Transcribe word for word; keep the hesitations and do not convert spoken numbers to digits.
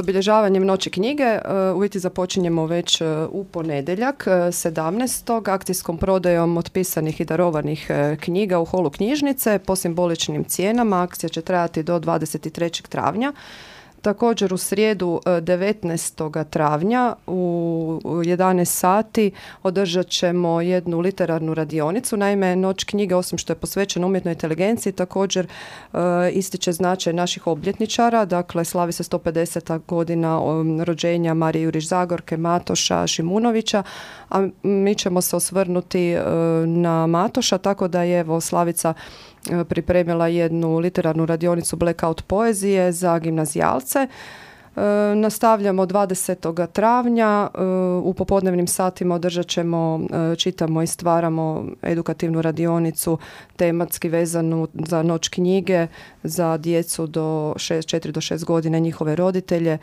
obilježavanjem Noći knjige u biti započinjemo već u ponedjeljak sedamnaestog akcijskom prodajom otpisanih i darovanih knjiga u holu knjižnice po simboličnim cijenama. Akcija će trajati do dvadeset trećeg travnja. Također u srijedu devetnaestog travnja u jedanaest sati održat ćemo jednu literarnu radionicu. Naime, Noć knjige, osim što je posvećena umjetnoj inteligenciji, također e, ističe značaj naših obljetničara. Dakle, slavi se sto pedeset godina rođenja Marije Jurić Zagorke, Matoša, Šimunovića, a mi ćemo se osvrnuti e, na Matoša, tako da je evo Slavica pripremila jednu literarnu radionicu Blackout poezije za gimnazijalce. E, nastavljamo dvadesetog travnja. E, u popodnevnim satima održat ćemo e, Čitamo i stvaramo edukativnu radionicu tematski vezanu za Noć knjige za djecu do šest, četiri do šest godina, njihove roditelje.